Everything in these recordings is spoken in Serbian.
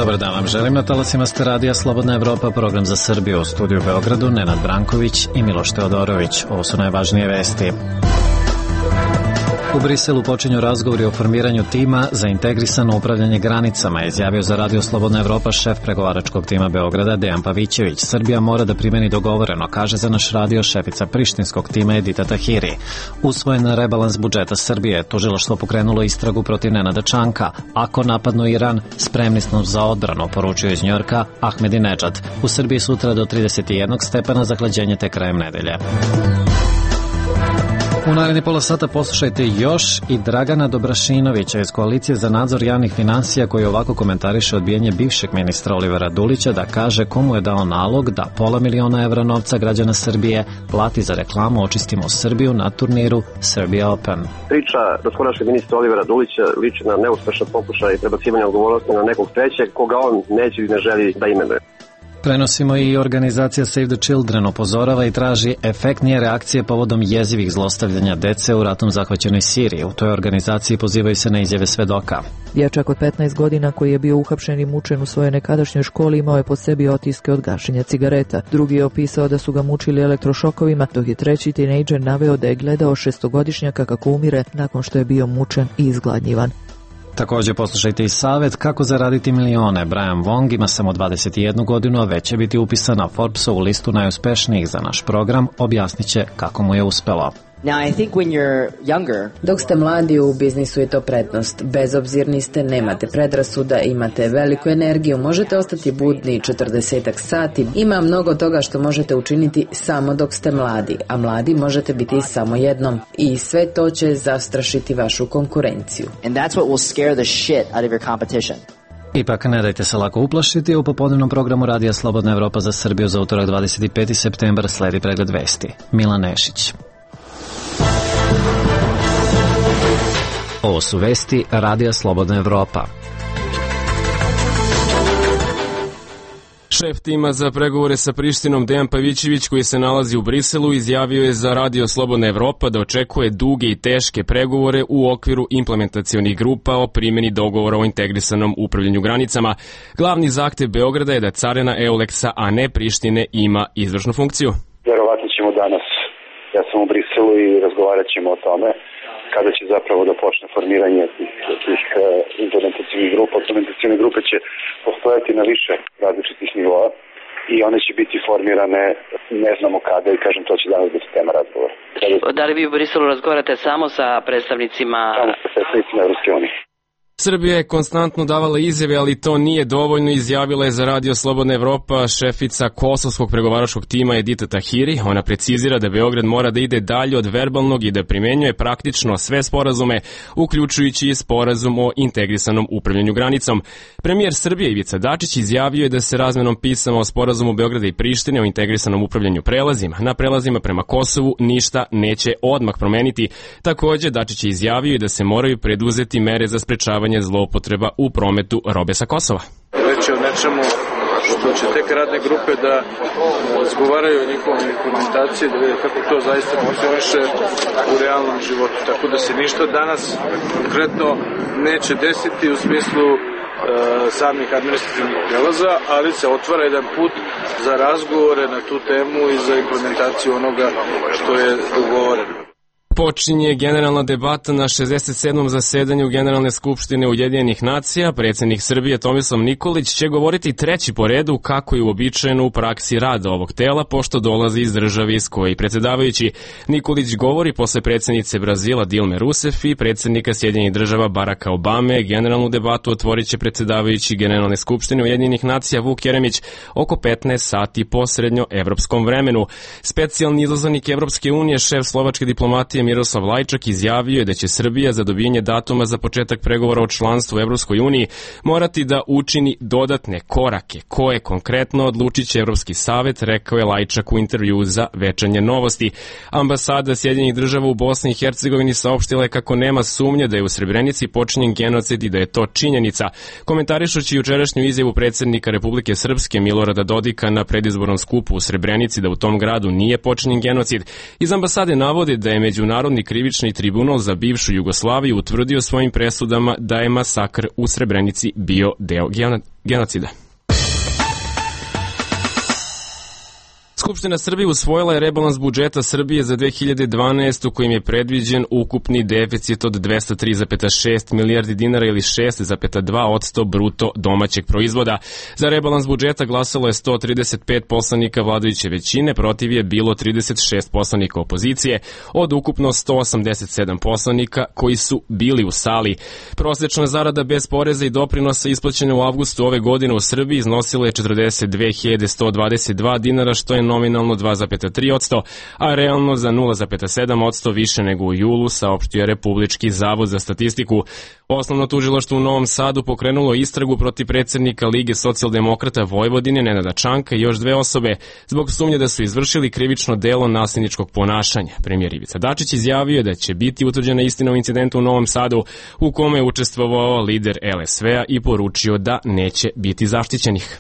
Dobar dan vam želim, na talasima ste Radija Slobodna Evropa, program za Srbiju, u studiju u Beogradu, Nenad Branković i Miloš Teodorović. Ovo su najvažnije vesti. U Briselu počinju razgovori o formiranju tima za integrisano upravljanje granicama, izjavio za Radio Slobodna Evropa šef pregovaračkog tima Beograda Dejan Pavićević. Srbija mora da primeni dogovoreno, kaže za naš radio šefica prištinskog tima Edita Tahiri. Usvojen rebalans budžeta Srbije, tužilaštvo pokrenulo istragu protiv Nenada Čanka. Ako napadnu Iran, spremni smo za odbranu, poručio iz Njujorka Ahmedinedžad. U Srbiji sutra do 31 stepena, zahlađenje tek krajem nedelje. U naredni pola sata poslušajte još i Dragana Dobrašinovića iz Koalicije za nadzor javnih finansija, koji ovako komentariše odbijanje bivšeg ministra Olivera Dulića da kaže komu je dao nalog da $500.000 evra novca građana Srbije plati za reklamu Očistimo Srbiju na turniru Serbia Open. Priča doskorašnjeg ministra Olivera Dulića liči na neuspešan pokušaj prebacivanja odgovornosti na nekog trećeg koga on neće i ne želi da imenuje. Prenosimo i organizacija Save the Children upozorava i traži efektnije reakcije povodom jezivih zlostavljanja dece u ratom zahvaćenoj Siriji. U toj organizaciji pozivaju se na izjave svedoka. Dječak od 15 godina koji je bio uhapšen i mučen u svojoj nekadašnjoj školi imao je po sebi otiske od gašenja cigareta. Drugi je opisao da su ga mučili elektrošokovima, dok je treći tinejdžer naveo da je gledao šestogodišnjaka kako umire nakon što je bio mučen i izgladnjivan. Također poslušajte i savjet kako zaraditi milione. Brian Wong ima samo 21 godinu, a već će biti upisan na Forbesovu listu najuspešnijih. Za naš program objasnit će kako mu je uspelo. Dok ste mladi, u biznisu je to prednost. Bezobzirni ste, nemate predrasuda, imate veliku energiju, možete ostati budni 40 sati. Ima mnogo toga što možete učiniti samo dok ste mladi, a mladi možete biti samo jednom. I sve to će zastrašiti vašu konkurenciju. Ipak ne dajte se lako uplašiti. U popodnevnom programu Radija Slobodna Evropa za Srbiju za utorak 25. septembar sledi pregled vesti. Milan Nešić. Ovo su vesti Radija Slobodna Evropa. Šef tima za pregovore sa Prištinom Dejan Pavićević, koji se nalazi u Briselu, izjavio je za Radio Slobodna Evropa da očekuje duge i teške pregovore u okviru implementacionih grupa o primjeni dogovora o integrisanom upravljanju granicama. Glavni zahtev Beograda je da carina Euleksa, a ne Prištine, ima izvršnu funkciju. Verovatno ćemo danas, ja sam u Briselu i razgovarat ćemo o tome kada će zapravo da počne formiranje tih implementacijnih grupa. Implementacijne grupe će postojati na više različitih nivoa i one će biti formirane ne znamo kada i kažem to će danas biti tema razgovora. Da li vi u Briselu razgovarate samo sa predstavnicima? Samo sa predstavnicima Evropske unije. Srbija je konstantno davala izjave, ali to nije dovoljno, izjavila je za Radio Slobodna Evropa šefica kosovskog pregovaračkog tima Edita Tahiri. Ona precizira da Beograd mora da ide dalje od verbalnog i da primenjuje praktično sve sporazume, uključujući i sporazum o integrisanom upravljanju granicom. Premijer Srbije Ivica Dačić izjavio je da se razmenom pisama o sporazumu Beograda i Prištine o integrisanom upravljanju prelazima na prelazima prema Kosovu ništa neće odmah promeniti. Također, Dačić je izjavio da se moraju preduzeti mere za sprečavanje zloupotreba u prometu robe sa Kosova. Reći o nečemu što će tek radne grupe da razgovaraju o njihovom implementaciji, da vide kako to zaista funkcioniše u realnom životu. Tako da se ništa danas konkretno neće desiti u smislu samih administrativnih prelaza, ali se otvara jedan put za razgovore na tu temu i za implementaciju onoga što je dogovoreno. Počinje generalna debata na 67. zasedanju Generalne skupštine Ujedinjenih nacija. Predsjednik Srbije Tomislav Nikolić će govoriti treći po redu, kako je uobičajeno u praksi rada ovog tela, pošto dolazi iz države iz koje predsjedavajući. Nikolić govori posle predsjednice Brazila Dilme Rousseff i predsjednika Sjedinjenih država Baracka Obame. Generalnu debatu otvorit će predsjedavajući Generalne skupštine Ujedinjenih nacija Vuk Jeremić oko 15 sati po srednjoevropskom vremenu. Specijalni izaslanik Evropske unije, šef slovačke diplomatije Miroslav Lajčak, izjavio je da će Srbija za dobijanje datuma za početak pregovora o članstvu u Evropskoj uniji morati da učini dodatne korake. Koje konkretno odlučit će Evropski savet, rekao je Lajčak u intervju za Večernje novosti. Ambasada Sjedinjenih država u Bosni i Hercegovini saopštila je kako nema sumnje da je u Srebrenici počinjen genocid i da je to činjenica. Komentarišući jučerašnju izjavu predsjednika Republike Srpske Milorada Dodika na predizbornom skupu u Srebrenici da u tom gradu nije počinjen genocid, iz ambasade navode da je međunarodna Međunarodni krivični tribunal za bivšu Jugoslaviju utvrdio svojim presudama da je masakr u Srebrenici bio deo genocida. Skupština Srbije usvojila je rebalans budžeta Srbije za 2012. kojim je predviđen ukupni deficit od 203,6 milijardi dinara ili 6,2% bruto domaćeg proizvoda. Za rebalans budžeta glasalo je 135 poslanika vladajuće većine, protiv je bilo 36 poslanika opozicije, od ukupno 187 poslanika koji su bili u sali. Prosečna zarada bez poreza i doprinosa isplaćena u avgustu ove godine u Srbiji iznosila je 42.122 dinara, što je nominalno 2,3%, a realno za 0,7% više nego u julu, saopštio je Republički zavod za statistiku. Osnovno tužilaštvo u Novom Sadu pokrenulo istragu protiv predsednika Lige socijaldemokrata Vojvodine Nenada Čanka i još 2 osobe zbog sumnje da su izvršili krivično delo nasilničkog ponašanja. Premijer Ivica Dačić izjavio je da će biti utvrđena istina o incidentu u Novom Sadu u kome je učestvovao lider LSV-a i poručio da neće biti zaštićenih.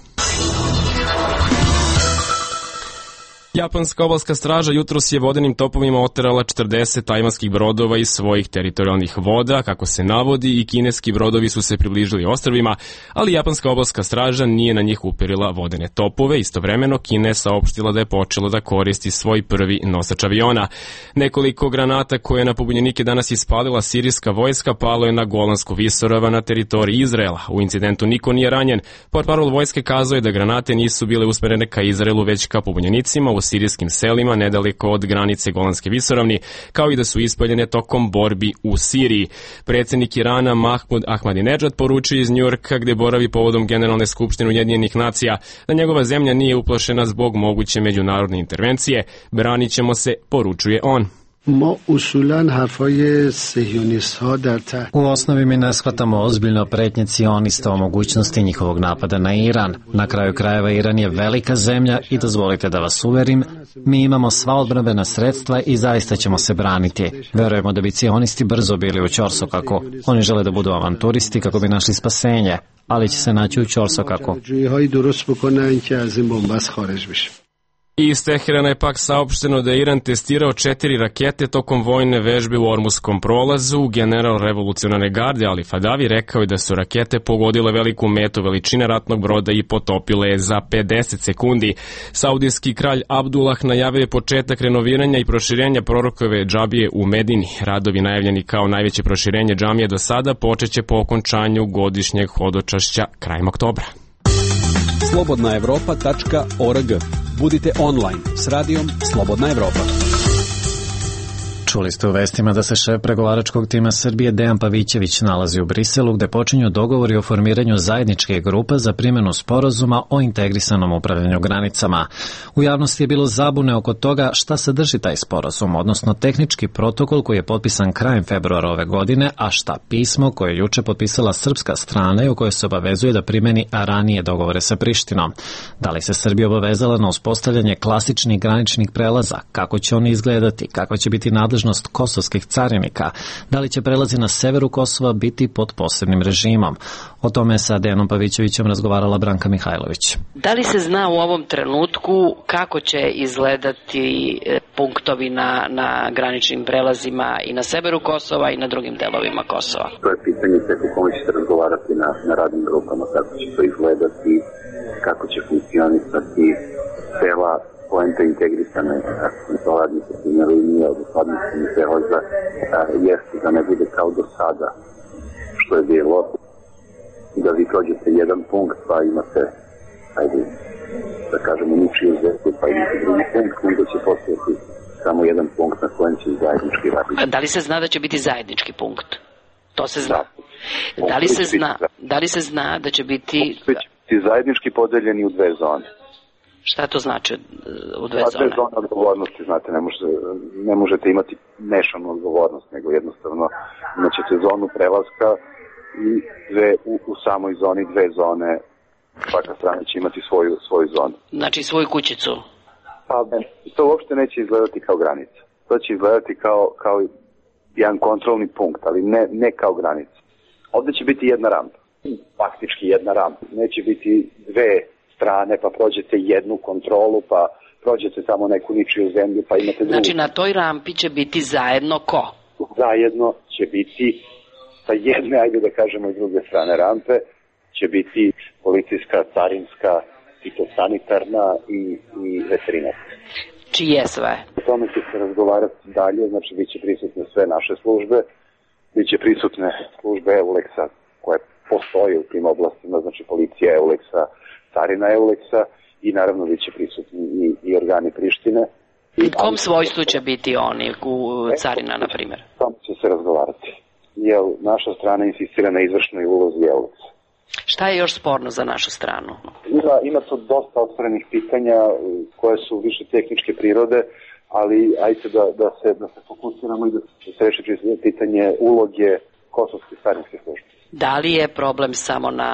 Japanska obalska straža jutros je vodenim topovima oterala 40 tajvanskih brodova iz svojih teritorijalnih voda, kako se navodi, i kineski brodovi su se približili ostrvima, ali japanska obalska straža nije na njih uperila vodene topove. Istovremeno Kina je saopštila da je počela da koristi svoj prvi nosač aviona. Nekoliko granata koje je na pobunjenike danas ispalila sirijska vojska palo je na Golansku visoravan na teritoriji Izraela. U incidentu niko nije ranjen. Portparol vojske kazao je da granate nisu bile usmerene ka Izraelu, već ka pobunjenicima u sirijskim selima nedaleko od granice Golanske visoravni, kao i da su ispaljene tokom borbi u Siriji. Predsjednik Irana Mahmud Ahmadinejad poručio iz Njujorka, gde boravi povodom Generalne skupštine Ujedinjenih nacija, da njegova zemlja nije uplašena zbog moguće međunarodne intervencije. Branit ćemo se, poručuje on. U osnovi mi ne shvatamo ozbiljno pretnje cionista o mogućnosti njihovog napada na Iran. Na kraju krajeva Iran je velika zemlja i dozvolite da vas uverim, mi imamo sva odbrambena sredstva i zaista ćemo se braniti. Verujemo da bi cionisti brzo bili u ćorsokaku. Oni žele da budu avanturisti kako bi našli spasenje, ali će se naći u ćorsokaku. Iz Teherana je pak saopšteno da je Iran testirao 4 rakete tokom vojne vežbe u Ormuskom prolazu. General revolucionarne garde Ali Fadavi rekao je da su rakete pogodile veliku metu veličine ratnog broda i potopile je za 50 sekundi. Saudijski kralj Abdullah najavio je početak renoviranja i proširenja prorokove džabije u Medini. Radovi najavljeni kao najveće proširenje džamije do sada počeće po okončanju godišnjeg hodočašća krajem oktobra. slobodnaevropa.org. Budite online s radijom Slobodna Evropa. Čuli ste u vestima da se šef pregovaračkog tima Srbije Dejan Pavićević nalazi u Briselu, gde počinju dogovori o formiranju zajedničke grupe za primjenu sporazuma o integrisanom upravljanju granicama. U javnosti je bilo zabune oko toga šta sadrži taj sporazum, odnosno tehnički protokol koji je potpisan krajem februara ove godine, a šta pismo koje je juče potpisala srpska strana i u kojoj se obavezuje da primeni ranije dogovore sa Prištinom. Da li se Srbija obavezala na uspostavljanje klasičnih graničnih prelaza, kako će oni izgledati, kako će biti nadležnost kosovskih carinika, da li će prelazi na severu Kosova biti pod posebnim režimom. O tome sa Dejanom Pavićevićem razgovarala Branka Mihajlović. Da li se zna u ovom trenutku kako će izgledati punktovi na graničnim prelazima i na severu Kosova i na drugim delovima Kosova? To je pitanje o kome ćete razgovarati na radnim grupama, kako će to izgledati, kako će funkcionisati cela poenta integrisane administrativne linije od administrativnih prelaza jeste da ne bude kao do sada što je bilo, da vi prođete jedan punkt pa imate, da kažemo, ničiju zveku pa imate drugi punkt, onda će postojati samo jedan punkt na kojem će zajednički raditi. Da li se zna da će biti zajednički punkt? To se zna. Da li se zna da će biti zajednički podeljeni u 2 zone? Šta to znači u 2 zone? 2 zone odgovornosti, znate, ne možete imati mešanu odgovornost, nego jednostavno imaćete zonu prelaska i u samoj zoni 2 zone, svaka strana će imati svoju zonu. Znači svoju kućicu? Pa to uopšte neće izgledati kao granica. To će izgledati kao jedan kontrolni punkt, ali ne kao granica. Ovde će biti jedna rampa, faktički jedna rampa. Neće biti 2 strane, pa prođete jednu kontrolu, pa prođete tamo neku ničiju zemlju pa imate drugu. Znači na toj rampi će biti zajedno ko? Zajedno će biti sa jedne, ajde da kažemo i druge strane rampe, će biti policijska, carinska, fitosanitarna i veterinarska. Čije sve? O tome će se razgovarati dalje, znači bit će prisutne sve naše službe, bit će prisutne službe EULEX-a koje postoje u tim oblastima, znači policija EULEX-a, carina EULEX-a i naravno bit će prisutni i organi Prištine. U kom svojstvu će biti oni u carina, na primjer? O tome će se razgovarati. Jer naša strana insistira na izvršnoj ulozi EULEX-a. Šta je još sporno za našu stranu? Ima tu dosta otvorenih pitanja koje su više tehničke prirode, ali ajte da se fokusiramo i da se reši pitanje uloge kosovske carinske službe. Da li je problem samo na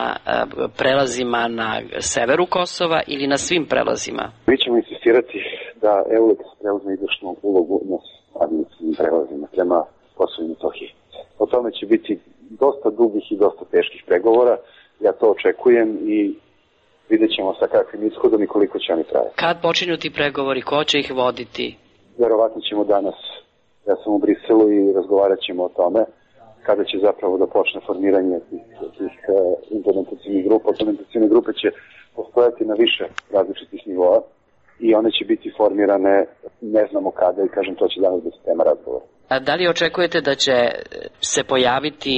prelazima na severu Kosova ili na svim prelazima? Mi ćemo insistirati da EULEX preuzme izvršnu ulogu na administrativnim prelazima prema Kosovu i Metohiji. O tome će biti dosta dugih i dosta teških pregovora. Ja to očekujem i vidjet ćemo sa kakvim ishodom i koliko će oni trajati. Kad počinju ti pregovori, ko će ih voditi? Verovatno ćemo danas, ja sam u Briselu i razgovarat ćemo o tome kada će zapravo da počne formiranje tih implementacijnih grupa. Implementacijne grupe će postojati na više različitih nivoa i one će biti formirane ne znamo kada i kažem to će danas biti tema razgovora. A da li očekujete da će se pojaviti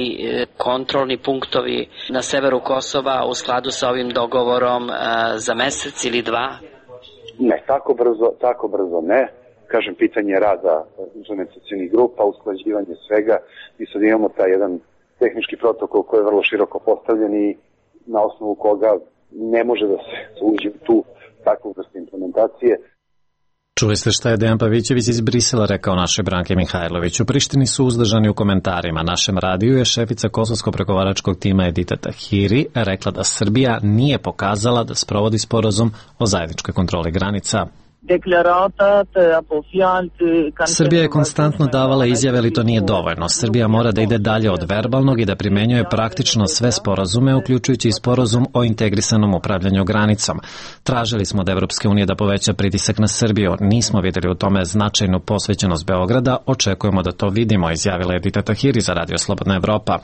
kontrolni punktovi na severu Kosova u skladu sa ovim dogovorom za mesec ili dva? Ne, tako brzo ne. Kažem, pitanje rada implementacijnih grupa, usklađivanje svega i sad imamo taj jedan tehnički protokol koji je vrlo široko postavljen i na osnovu koga ne može da se uđe u tu takvu vrstu implementacije. Čuli ste šta je Dejan Pavićević iz Brisela rekao našoj Branki Mihajlović. U Prištini su uzdržani u komentarima. Našem radiju je šefica kosovsko-pregovaračkog tima Edita Tahiri rekla da Srbija nije pokazala da sprovodi sporazum o zajedničkoj kontroli granica. Srbija je konstantno davala izjave, ali to nije dovoljno. Srbija mora da ide dalje od verbalnog i da primenjuje praktično sve sporazume, uključujući i sporazum o integrisanom upravljanju granicom. Tražili smo od Evropske unije da poveća pritisak na Srbiju. Nismo videli u tome značajnu posvećenost Beograda. Očekujemo da to vidimo, izjavila Edita Tahiri za Radio Slobodna Evropa.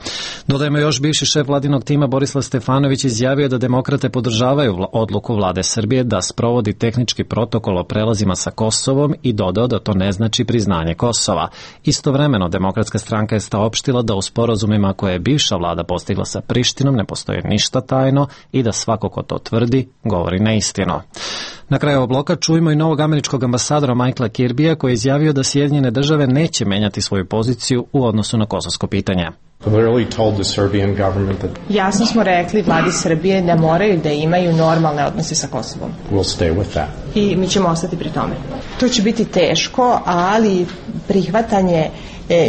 Dodajemo još, bivši šef vladinog tima Borislav Stefanović izjavio da demokrate podržavaju odluku vlade Srbije da sprovodi tehnički protokol o prelazima sa Kosovom i dodao da to ne znači priznanje Kosova. Istovremeno, Demokratska stranka je saopštila da u sporazumima koje je bivša vlada postigla sa Prištinom ne postoji ništa tajno i da svako ko to tvrdi govori neistinu. Na kraju ovog bloka čujemo i novog američkog ambasadora Michaela Kirbija koji je izjavio da Sjedinjene države neće menjati svoju poziciju u odnosu na kosovsko pitanje. Jasno smo rekli vladi Srbije da moraju da imaju normalne odnose sa Kosovom. I mi ćemo ostati pri tome. To će biti teško, ali prihvatanje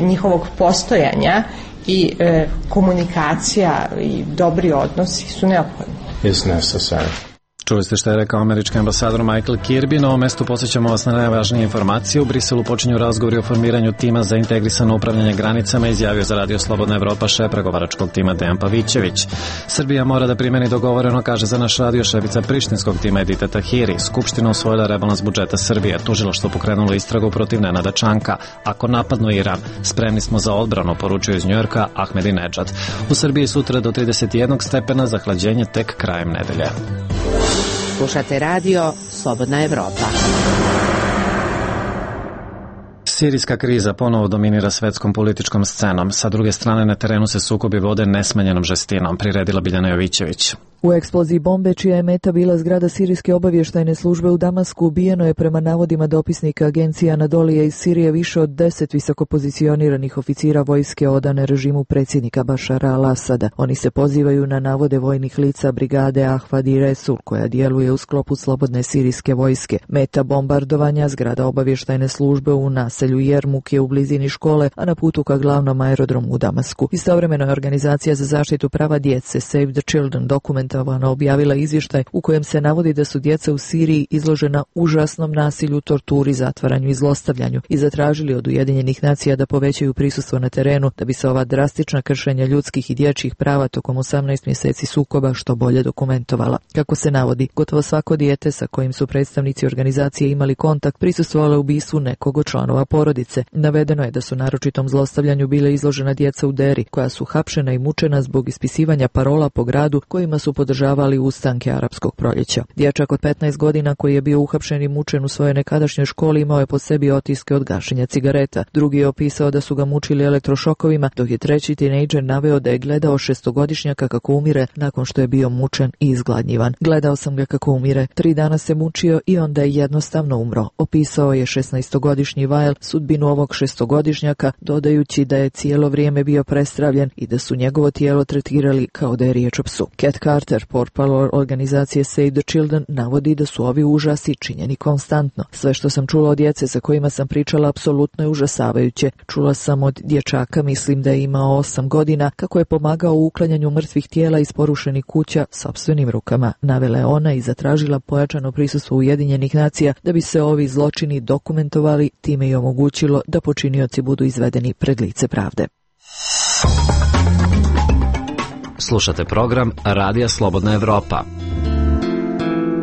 njihovog postojanja i komunikacija i dobri odnosi su neophodni. Čuli ste što je rekao američki ambasador Michael Kirby. Na ovom mestu posjećamo vas na najvažnije informacije. U Briselu počinju razgovori o formiranju tima za integrisano upravljanje granicama, izjavio za Radio Slobodna Evropa šef pregovaračkog tima Dejan Pavićević. Srbija mora da primeni dogovoreno, kaže za naš radio šefica prištinskog tima Edita Tahiri. Skupština usvojila rebalans budžeta Srbije. Tužilaštvo pokrenulo istragu protiv Nenada Čanka. Ako napadnu Iran, spremni smo za odbranu, poručuje iz Njujorka Ahmedinedžad. U Srbiji sutra do 31 stepena, zahlađenje tek krajem nedelje. Slušate radio Slobodna Evropa. Sirijska kriza ponovo dominira svetskom političkom scenom. Sa druge strane na terenu se sukobi vode nesmanjenom žestinom, priredila Biljana Jovićević. U eksploziji bombe, čija je meta bila zgrada sirijske obavještajne službe u Damasku, ubijeno je prema navodima dopisnika agencije Anadolije iz Sirije više od 10 visokopozicioniranih oficira vojske odane režimu predsjednika Bašara al-Asada. Oni se pozivaju na navode vojnih lica brigade Ahvad i Resul, koja djeluje u sklopu slobodne sirijske vojske. Meta bombardovanja zgrada obavještajne službe u naselju naselju Jermuk je u blizini škole, a na putu ka glavnom aerodromu u Damasku. Istovremeno je Organizacija za zaštitu prava djece Save the Children dokumentovano objavila izvještaj u kojem se navodi da su djeca u Siriji izložena užasnom nasilju, torturi, zatvaranju i zlostavljanju i zatražili od Ujedinjenih nacija da povećaju prisustvo na terenu da bi se ova drastična kršenja ljudskih i dječjih prava tokom 18 mjeseci sukoba što bolje dokumentovala. Kako se navodi, gotovo svako dijete sa kojim su predstavnici organizacije imali kontakt prisustvovale ubistvu nekog od članova porodice. Navedeno je da su naročitom zlostavljanju bile izložena djeca u Deri, koja su hapšena i mučena zbog ispisivanja parola po gradu kojima su podržavali ustanke arapskog proljeća. Dječak od 15 godina koji je bio uhapšen i mučen u svojoj nekadašnjoj školi imao je po sebi otiske od gašenja cigareta. Drugi je opisao da su ga mučili elektrošokovima, dok je treći tinejdžer naveo da je gledao 6-godišnjaka kako umire nakon što je bio mučen i izgladnjivan. Gledao sam ga kako umire, 3 dana se mučio i onda je jednostavno umro, opisao je 16-godišnji Weil sudbinu ovog 6-godišnjaka, dodajući da je cijelo vrijeme bio prestravljen i da su njegovo tijelo tretirali kao da je riječ o psu. Cat Carter, portparol organizacije Save the Children, navodi da su ovi užasi činjeni konstantno. Sve što sam čula od djece sa kojima sam pričala apsolutno je užasavajuće. Čula sam od dječaka, mislim da je imao 8 godina, kako je pomagao u uklanjanju mrtvih tijela iz porušenih kuća sopstvenim rukama. Navela je ona i zatražila pojačano prisustvo Ujedinjenih nacija da bi se ovi zločini dokumentovali, time i omogućilo da počinioci budu izvedeni pred lice pravde. Slušate program Radija Slobodna Evropa.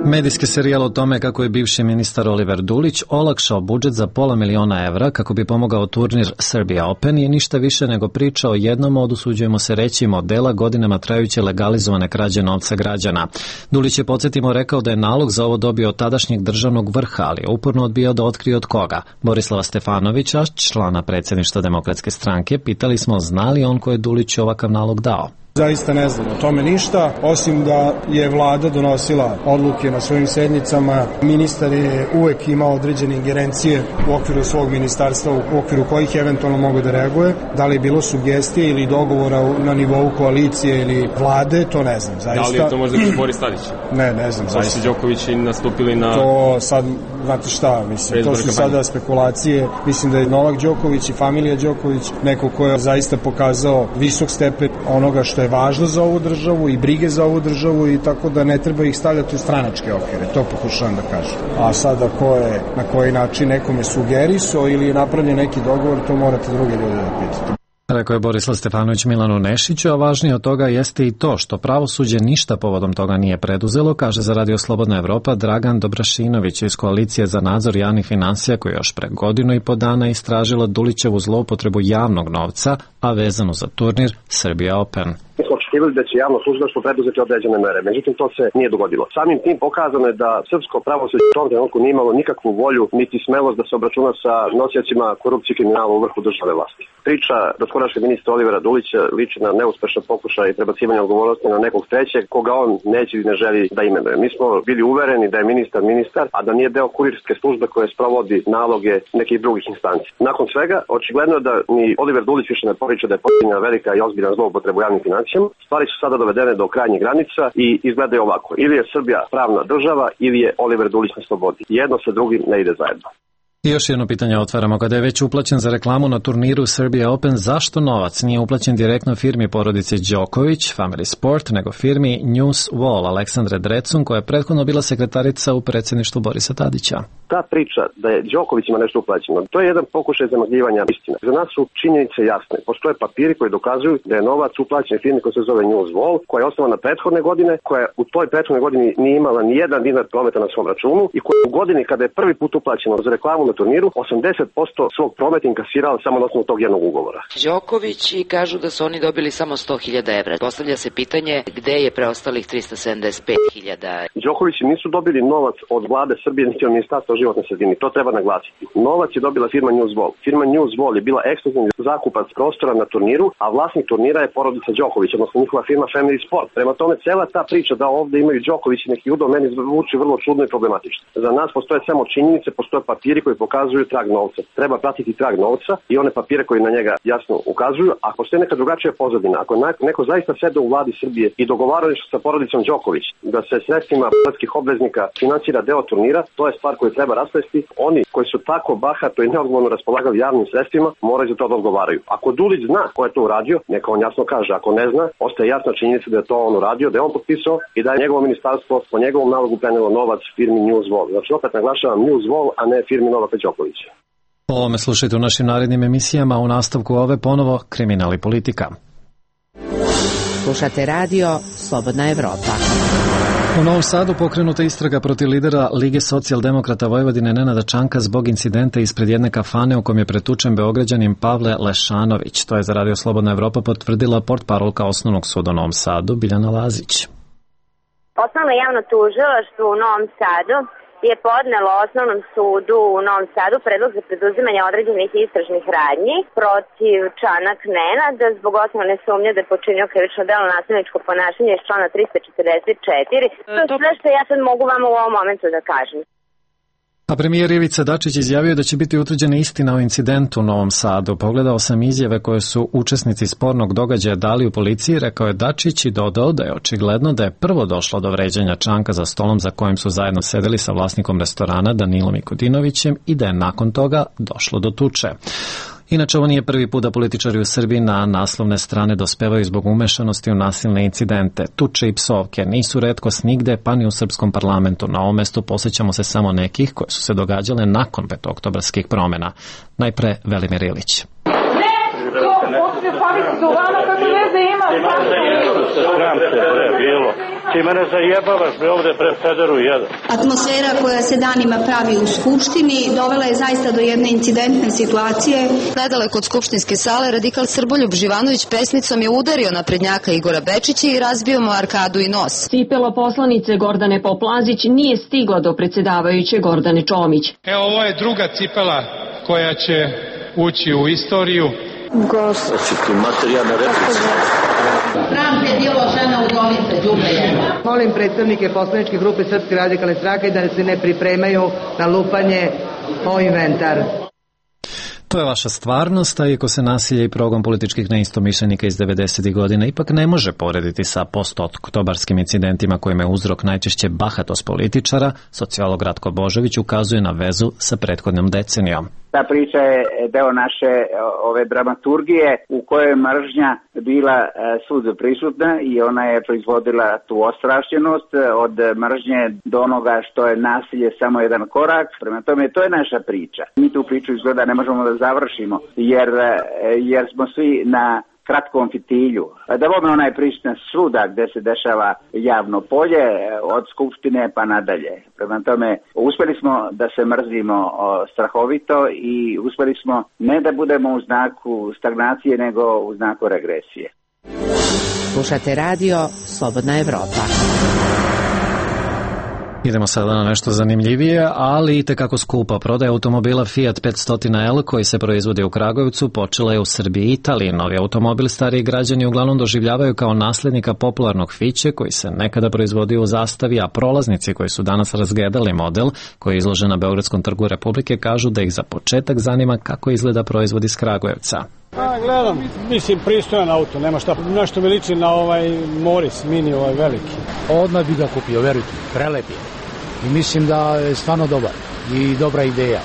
Medijski serijal o tome kako je bivši ministar Oliver Dulić olakšao budžet za $500.000 kako bi pomogao turnir Serbia Open je ništa više nego priča o jednom od, usuđujemo se reći, modela godinama trajuće legalizovane krađe novca građana. Dulić je, podsjetimo, rekao da je nalog za ovo dobio od tadašnjeg državnog vrha, ali je uporno odbijao da otkrije od koga. Borislava Stefanovića, člana predsjedništva Demokratske stranke, pitali smo zna li on ko je Dulić ovakav nalog dao. Zaista ne znam o tome ništa, osim da je vlada donosila odluke na svojim sednicama. Ministar je uvek imao određene ingerencije u okviru svog ministarstva, u okviru kojih eventualno mogu da reaguje. Da li je bilo sugestije ili dogovora na nivou koalicije ili vlade, to ne znam. Zaista. Da li je to možda Boris Tadić? Ne znam. Zaista Đoković i nastupili na... To sad, znate šta, mislim, to su sada spekulacije. Mislim da je Novak Đoković i familija Đoković neko ko je zaista pokazao visok stepen onoga što je važno za ovu državu i brige za ovu državu, i tako da ne treba ih stavljati u stranačke okvire, to pokušavam da kažem. A sada ko je na koji način nekome sugerisao ili je napravljen neki dogovor, to morate druge ljude da pitate. Rekao je Borislav Stefanović Milanu Nešiću, a važnije od toga jeste i to što pravosuđe ništa povodom toga nije preduzelo, kaže za Radio Slobodna Evropa Dragan Dobrašinović iz Koalicije za nadzor javnih finansija, koji još pre 1.5 godina istražila Dulićevu zloupotrebu javnog novca, a vezano za turnir Serbia Open. Mi smo očekivali da će javno tužilaštvo preduzeti određene mere, međutim to se nije dogodilo. Samim tim pokazano je da srpsko pravosuđe u tom trenutku nije imalo nikakvu volju niti smelost da se obračuna sa nosiocima korupcije i kriminala u vrhu državne vlasti. Priča doskorašnjeg ministra Olivera Dulića liči na neuspešan pokušaj prebacivanja odgovornosti na nekog trećeg koga on neće i ne želi da imenuje. Mi smo bili uvereni da je ministar, a da nije deo kurirske službe koje sprovodi naloge nekih drugih instanci. Nakon svega, očigledno je da ni Oliver Dulić više ne poriče da je počinjena velika i ozbiljna zloupotreba javnih financija. Stvari su sada dovedene do krajnjih granica i izgledaju ovako. Ili je Srbija pravna država, ili je Oliver Dulić na slobodi. Jedno sa drugim ne ide zajedno. I još jedno pitanje otvaramo. Kada je već uplaćen za reklamu na turniru Serbia Open, zašto novac nije uplaćen direktno firmi porodice Đoković, Family Sport, nego firmi News Wall Aleksandre Drecun, koja je prethodno bila sekretarica u predsjedništvu Borisa Tadića? Ta priča da je Đokovićima nešto uplaćeno, to je jedan pokušaj zamagljivanja istine. Za nas su činjenice jasne. Postoje papiri koji dokazuju da je novac uplaćen firmi koja se zove News Wall, koja je osnovana prethodne godine, koja u toj prethodnoj godini nije imala ni jedan dinar prometa na svom računu i koja u godini kada je prvi put uplaćeno za reklamu na turniru, 80% svog prometa inkasirala samo na osnovu tog jednog ugovora. Đoković i kažu da su oni dobili samo 100.000 evra. Postavlja se pitanje gde je preostalih 375.000. Đokovići nisu dobili novac od vlade Srbije niti od Ministarstva životne sredine. To treba naglasiti. Novac je dobila firma News Wall. Firma News Wall je bila ekskluzivni zakupac prostora na turniru, a vlasnik turnira je porodica Đoković, odnosno njihova firma Family Sport. Prema tome, cela ta priča da ovde imaju Đoković i neki udao meni zvuči vrlo čudno i problematično. Za nas postoje samo činjenice, postoje papiri koji pokazuju trag novca. Treba pratiti trag novca i one papire koji na njega jasno ukazuju. Ako postoji neka drugačija pozadina, ako neko zaista sede u vladi Srbije i dogovaraju sa porodicom Đoković da se sredstvima poreskih obveznika finansira deo turnira, to je stvar koju treba rasplesti. Oni koji su tako bahato i neodgovorno raspolagali javnim sredstvima moraju za to da odgovaraju. Ako Dulić zna ko je to uradio, neka on jasno kaže. Ako ne zna, ostaje jasna činjenica da je to on uradio, da je on potpisao i da je njegovo ministarstvo po njegovom nalogu prenelo novac firmi Newswall. Znači opet naglašavam Newswall, a ne firmi Novaka Đokovića. O ovome slušajte u našim narednim emisijama, u nastavku ove ponovo kriminal i politika. Slušate radio Slobodna Evropa. U Novom Sadu pokrenuta istraga protiv lidera Lige socijaldemokrata Vojvodine Nenada Čanka zbog incidenta ispred jedne kafane u kom je pretučen Beograđanin Pavle Lešanović. To je za radio Slobodna Evropa potvrdila portparolka Osnovnog suda u Novom Sadu Biljana Lazić. Osnovno javno tužilaštvo u Novom Sadu je podnelo Osnovnom sudu u Novom Sadu predlog za preduzimanje određenih istražnih radnji protiv Čanak Nenada zbog osnovne sumnje da je počinio krivično delo nasilničko ponašanje iz člana 344. To je sve što ja sad mogu vam u ovom momentu da kažem. A premijer Ivica Dačić izjavio da će biti utvrđena istina o incidentu u Novom Sadu. Pogledao sam izjave koje su učesnici spornog događaja dali u policiji, rekao je Dačić i dodao da je očigledno da je prvo došlo do vređanja Čanka za stolom za kojim su zajedno sedeli sa vlasnikom restorana Danilom Ikodinovićem i da je nakon toga došlo do tuče. Inače, ovo nije prvi put da političari u Srbiji na naslovne strane dospevaju zbog umešanosti u nasilne incidente. Tuče i psovke nisu retkost nigde, pa ni u srpskom parlamentu. Na ovom mestu posjećamo se samo nekih koje su se događale nakon petooktobarskih promjena. Najpre Velimir Ilić. Ti mene zajebavaš, bre, ovde pre Federu jedan. Atmosfera koja se danima pravi u Skupštini dovela je zaista do jedne incidentne situacije. Nedaleko od skupštinske sale radikal Srboljub Živanović pesnicom je udario naprednjaka Igora Bečića i razbio mu arkadu i nos. Cipelo poslanice Gordane Poplazić nije stigla do predsjedavajuće Gordane Čomić. Evo, ovo je druga cipela koja će ući u istoriju. Znači, materijalna replica. Pravda je bilo žena udovica, đubre jedna. Molim predstavnike poslaničke grupe Srpske radikalne stranke da se ne pripremaju na lupanje o inventar. To je vaša stvarnost, a iako se nasilje i progon političkih neistomišljenika iz 90. godina ipak ne može porediti sa postoktobarskim incidentima kojima je uzrok najčešće bahatost političara, sociolog Ratko Božović ukazuje na vezu sa prethodnom decenijom. Ta priča je deo naše ove dramaturgije u kojoj je mržnja bila svud prisutna i ona je proizvodila tu ostrašćenost od mržnje do onoga što je nasilje samo jedan korak. Prema tome, to je naša priča. Mi tu priču izgleda ne možemo da završimo jer smo svi na kratkom fitilju. Da bome onaj prisutna svuda gde se dešava javno polje, od Skupštine pa nadalje. Prema tome, uspeli smo da se mrzimo strahovito i uspeli smo ne da budemo u znaku stagnacije, nego u znaku regresije. Slušate radio Slobodna Evropa. Idemo sada na nešto zanimljivije, ali i tekako skupo. Prodaja automobila Fiat 500L koji se proizvodi u Kragujevcu počela je u Srbiji i Italiji. Novi automobil stariji građani uglavnom doživljavaju kao naslednika popularnog Fiće koji se nekada proizvodio u Zastavi, a prolaznici koji su danas razgledali model koji je izložen na Beogradskom trgu Republike kažu da ih za početak zanima kako izgleda proizvod iz Kragujevca. Gledam, mislim pristojan auto, nema šta, nešto mi liči na ovaj Morris Mini, ovaj veliki. Odmah bi ga kupio, verujte, prelep je. I mislim da je stvarno dobar i dobra ideja.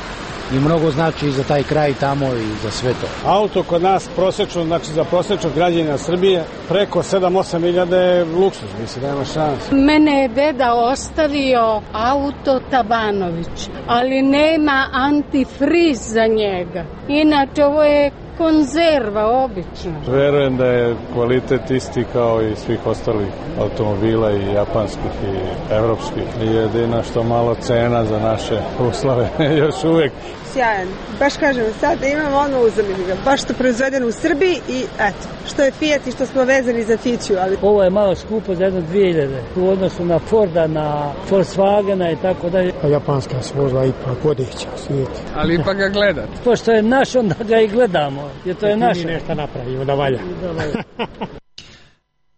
I mnogo znači i za taj kraj tamo i za sve to. Auto kod nas prosečno, znači za prosečnog građanina Srbije, preko 7-8 milijada je luksuz, mislim, nema šanse. Mene je deda ostavio auto Tabanović, ali nema antifriz za njega. Inače, ovo je konzerva, obično. Verujem da je kvalitet isti kao i svih ostalih automobila i japanskih i evropskih. Jedino što malo cena za naše uslove još uvek. Sjajan. Baš kažem, sad imamo ono uzemljivo ga. Baš što proizvedeno u Srbiji i eto, što je Fiat i što smo vezani za Fiću. Ali... Ovo je malo skupo za jedno 2000 u odnosu na Forda, na Volkswagena i tako dalje. Japanska se vozila ipak vodeća u svijetu. Ali ipak ga gledate. Pošto je naš, onda ga i gledamo. Jer to je naše. Mi nešto napravimo da valja.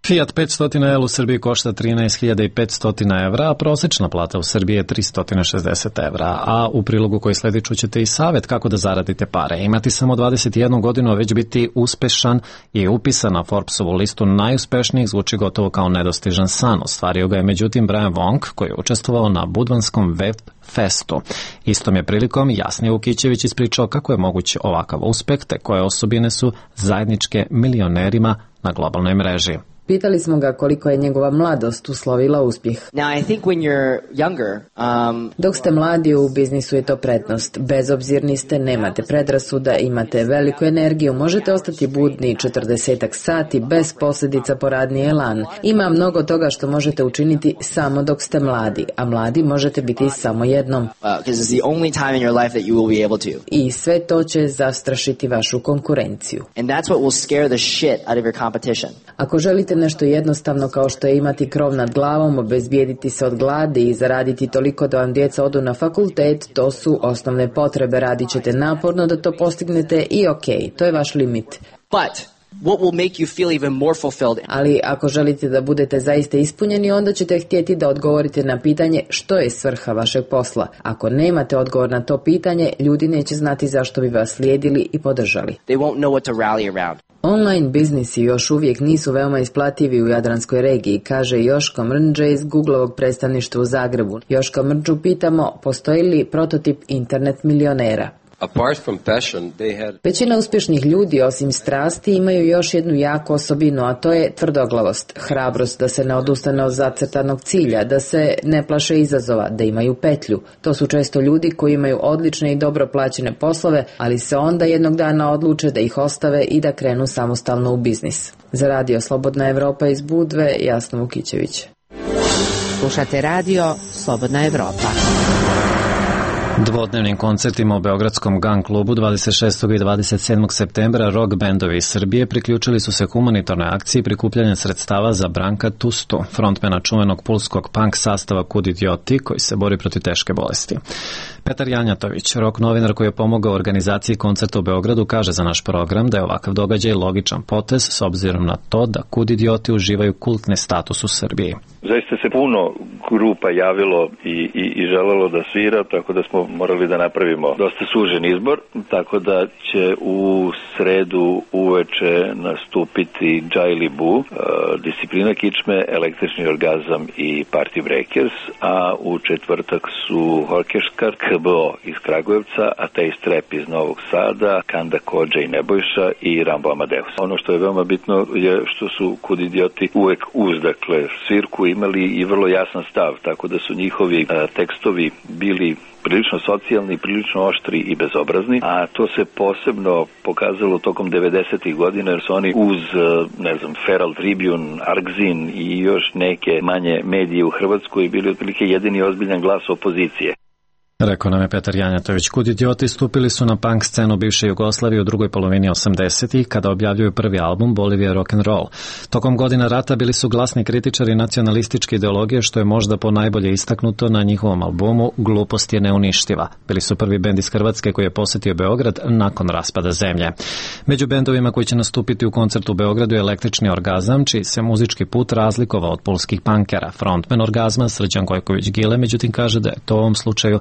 Fiat 500L u Srbiji košta 13.500 evra, a prosečna plata u Srbiji je 360 evra. A u prilogu koji sledi čućete i savjet kako da zaradite pare. Imati samo 21 godinu, a već biti uspešan i upisan na Forbesovu listu najuspešnijih zvuči gotovo kao nedostižan san. Ostvario ga je međutim Brian Wong, koji je učestvovao na Budvanskom web festu. Istom je prilikom Jasnije Vukićević ispričao kako je moguć ovakav uspeh, te koje osobine su zajedničke milionerima na globalnoj mreži. Pitali smo ga koliko je njegova mladost uslovila uspjeh. Dok ste mladi, u biznisu je to prednost. Bezobzirni ste, nemate predrasuda, imate veliku energiju, možete ostati budni 40 sati bez posljedica po radni elan. Ima mnogo toga što možete učiniti samo dok ste mladi, a mladi možete biti samo jednom. I sve to će zastrašiti vašu konkurenciju. Ako želite nešto jednostavno kao što je imati krov nad glavom, obezbijediti se od gladi i zaraditi toliko da vam djeca odu na fakultet, to su osnovne potrebe. Radit ćete naporno da to postignete i to je vaš limit. Ali ako želite da budete zaista ispunjeni, onda ćete htjeti da odgovorite na pitanje što je svrha vašeg posla. Ako nemate odgovor na to pitanje, ljudi neće znati zašto bi vas slijedili i podržali. Online biznisi još uvijek nisu veoma isplativi u Jadranskoj regiji, kaže Joško Mrnđe iz Googlovog predstavništva u Zagrebu. Joška Mrnđu pitamo, postoji li prototip internet milionera? Većina uspješnih ljudi, osim strasti, imaju još jednu jaku osobinu, a to je tvrdoglavost, hrabrost da se ne odustane od zacrtanog cilja, da se ne plaše izazova, da imaju petlju. To su često ljudi koji imaju odlične i dobro plaćene poslove, ali se onda jednog dana odluče da ih ostave i da krenu samostalno u biznis. Za radio Slobodna Evropa iz Budve, Jasna Vukićević. Slušate radio Slobodna Evropa. Dvodnevnim koncertima u Beogradskom Gun klubu 26. i 27. septembra rock bendovi iz Srbije priključili su se humanitarnoj akciji prikupljanja sredstava za Branka Tustu, frontmena čuvenog pulskog punk sastava Kud idioti, koji se bori protiv teške bolesti. Petar Janjatović, rock novinar koji je pomogao organizaciji koncerta u Beogradu, kaže za naš program da je ovakav događaj logičan potez s obzirom na to da Kud idioti uživaju kultni status u Srbiji. Zaista se puno grupa javilo i želelo da svira, tako da smo morali da napravimo dosta sužen izbor, tako da će u sredu uveče nastupiti Jaili Bu, Disciplina kičme, Električni orgazam i Party Breakers, a u četvrtak su Horkeškar, KBO iz Kragujevca, Ateist Rap iz Novog Sada, Kanda Kodža i Nebojša i Rambo Amadeus. Ono što je veoma bitno je što su Kud idioti uvek uz, dakle, svirku imali i vrlo jasan stav, tako da su njihovi tekstovi bili prilično socijalni, prilično oštri i bezobrazni, a to se posebno pokazalo tokom 90. godina jer su oni uz, Feral Tribune, Argzin i još neke manje medije u Hrvatskoj bili otprilike jedini ozbiljan glas opozicije. Rekao nam je Petar Janjatović. Kud idioti stupili su na punk scenu bivše Jugoslavije u drugoj polovini 80-ih kada objavljuju prvi album Bolivia Rock and Roll. Tokom godina rata bili su glasni kritičari nacionalističke ideologije, što je možda ponajbolje istaknuto na njihovom albumu Glupost je neuništiva. Bili su prvi bend iz Hrvatske koji je posjetio Beograd nakon raspada zemlje. Među bendovima koji će nastupiti u koncertu u Beogradu je Električni orgazam, čiji se muzički put razlikovao od pulskih punkera. Frontman Orgazma Srđan Gojković-Gile međutim kaže da je to u ovom slučaju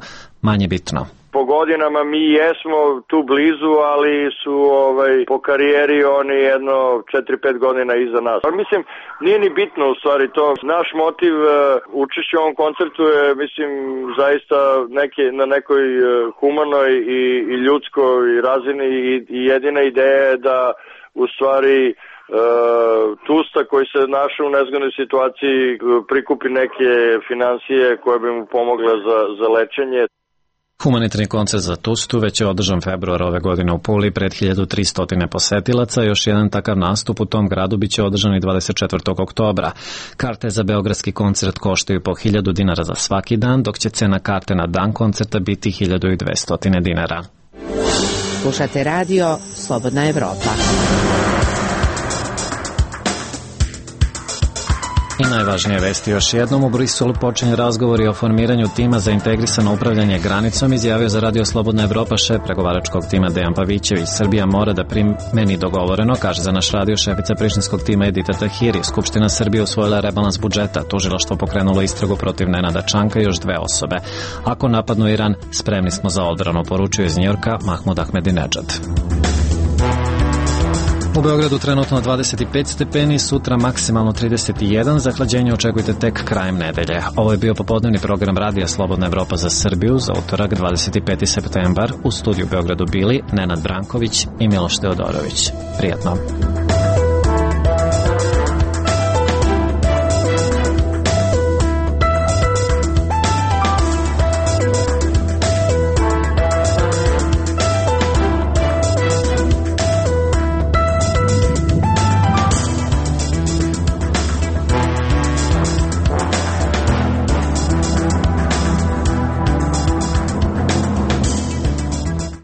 manje bitno. Po godinama mi jesmo tu blizu, ali su po karijeri oni jedno 4-5 godina iza nas. Ali mislim, nije ni bitno u stvari to. Naš motiv učešća u ovom koncertu je, mislim, zaista na nekoj humanoj i ljudskoj razini i jedina ideja je da u stvari Tusta koji se našao u nezgodnoj situaciji prikupi neke financije koje bi mu pomogle za lečenje. Humanitarni koncert za Tustu već je održan februara ove godine u Puli pred 1300 posetilaca. Još jedan takav nastup u tom gradu biće održan i 24. oktobra. Karte za beogradski koncert koštaju po 1000 dinara za svaki dan, dok će cena karte na dan koncerta biti 1200 dinara. Slušate radio Slobodna Evropa. I najvažnije vesti još jednom. U Briselu počinje razgovori o formiranju tima za integrisano upravljanje granicom, izjavio za Radio Slobodna Evropa šef pregovaračkog tima Dejan Pavićević. Srbija mora da primeni dogovoreno, kaže za naš radio šefica prištinskog tima Edita Tahiri. Skupština Srbije usvojila rebalans budžeta, tužilaštvo pokrenulo istragu protiv Nenada Čanka i još 2 osobe. Ako napadnu Iran, spremni smo za odbranu, poručuje iz Njujorka Mahmud Ahmedinedžad. U Beogradu trenutno 25 stepeni, sutra maksimalno 31, zahlađenje očekujte tek krajem nedelje. Ovo je bio popodnevni program Radija Slobodna Evropa za Srbiju za utorak 25. septembar. U studiju Beogradu bili Nenad Branković i Miloš Teodorović. Prijatno.